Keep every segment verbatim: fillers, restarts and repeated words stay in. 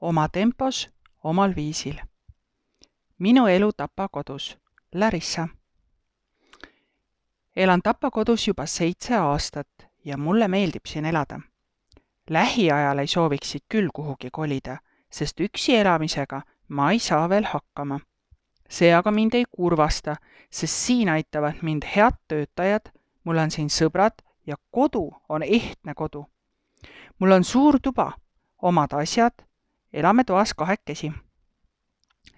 oma tempos, omal viisil. Minu elu Tapa kodus. Larissa. Elan Tapa kodus juba seitse aastat ja mulle meeldib siin elada. Lähiajal ei sooviksid küll kuhugi kolida, sest üksi elamisega ma ei saa veel hakkama. See aga mind ei kurvasta, sest siin aitavad mind head töötajad, mul on siin sõbrad ja kodu on ehtne kodu. Mul on suur tuba, omad asjad, elame toas kahekesi.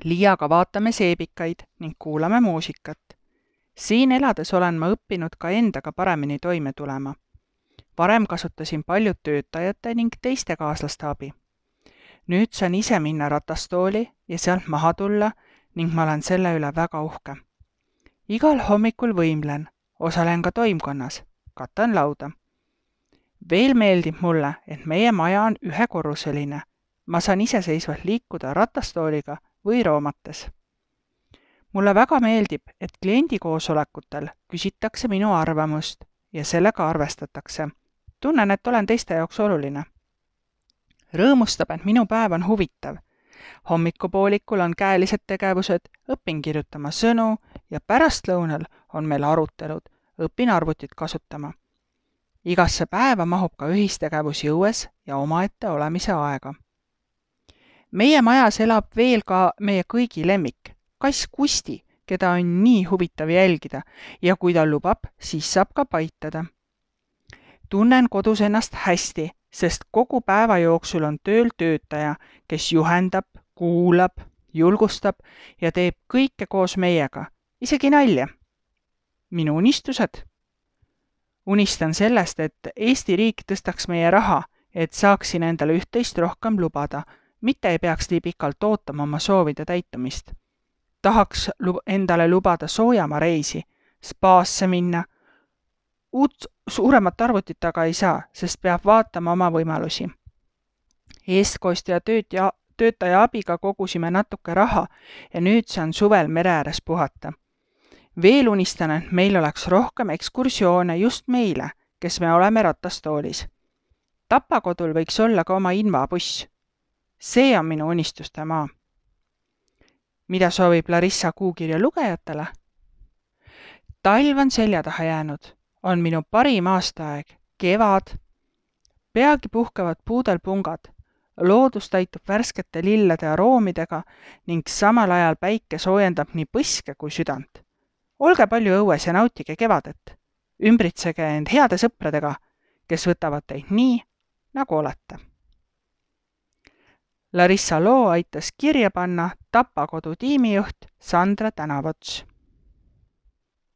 Liiaga vaatame seebikaid ning kuulame muusikat. Siin elades olen ma õppinud ka endaga paremini toime tulema. Varem kasutasin paljud töötajate ning teiste kaaslaste abi. Nüüd saan ise minna ratastooli ja sealt maha tulla ning ma olen selle üle väga uhke. Igal hommikul võimlen, osalen ka toimkonnas, katan lauda. Veel meeldib mulle, et meie maja on ühekorruseline. Ma saan iseseisvalt liikuda ratastooliga või roomates. Mulle väga meeldib, et kliendikoosolekutel küsitakse minu arvamust ja sellega arvestatakse. Tunnen, et olen teiste jaoks oluline. Rõõmustab, et minu päev on huvitav. Hommikupoolikul on käelised tegevused, õpin kirjutama sõnu ja pärastlõunal on meil arutelud, õpin arvutit kasutama. Igasse päeva mahub ka ühistegevus jõues ja omaette olemise aega. Meie majas elab veel ka meie kõigi lemmik, kass Kusti, keda on nii huvitav jälgida ja kui ta lubab, siis saab ka paitada. Tunnen kodus ennast hästi, sest kogu päeva jooksul on tööl töötaja, kes juhendab, kuulab, julgustab ja teeb kõike koos meiega, isegi nalja. Minu unistused. Unistan sellest, et Eesti riik tõstaks meie raha, et saaksin endale üht-teist rohkem lubada, mitte ei peaks nii pikalt ootama oma soovide täitumist. Tahaks endale lubada soojama reisi, spaasse minna. Uut suuremat arvutit aga ei saa, sest peab vaatama oma võimalusi. Eestkostja töötaja, töötaja abiga kogusime natuke raha ja nüüd saan suvel mere ääres puhata. Veel unistan, et meil oleks rohkem ekskursioone just meile, kes me oleme ratastoolis. Tapa kodul võiks olla ka oma invabuss. See on minu unistuste maa. Mida soovib Larissa kuukirja lugejatele? Talv on selja taha jäänud, on minu parim aastaaeg, kevad. Peagi puhkavad puudel pungad, loodus täitub värskete lillede aroomidega ning samal ajal päike soojendab nii põske kui südant. Olge palju õues ja nautige kevadet. Ümbritsege end heade sõpradega, kes võtavad teid nii, nagu olete. Larissa loo aitas kirja panna Tapa kodu tiimijuht Sandra Tänavots.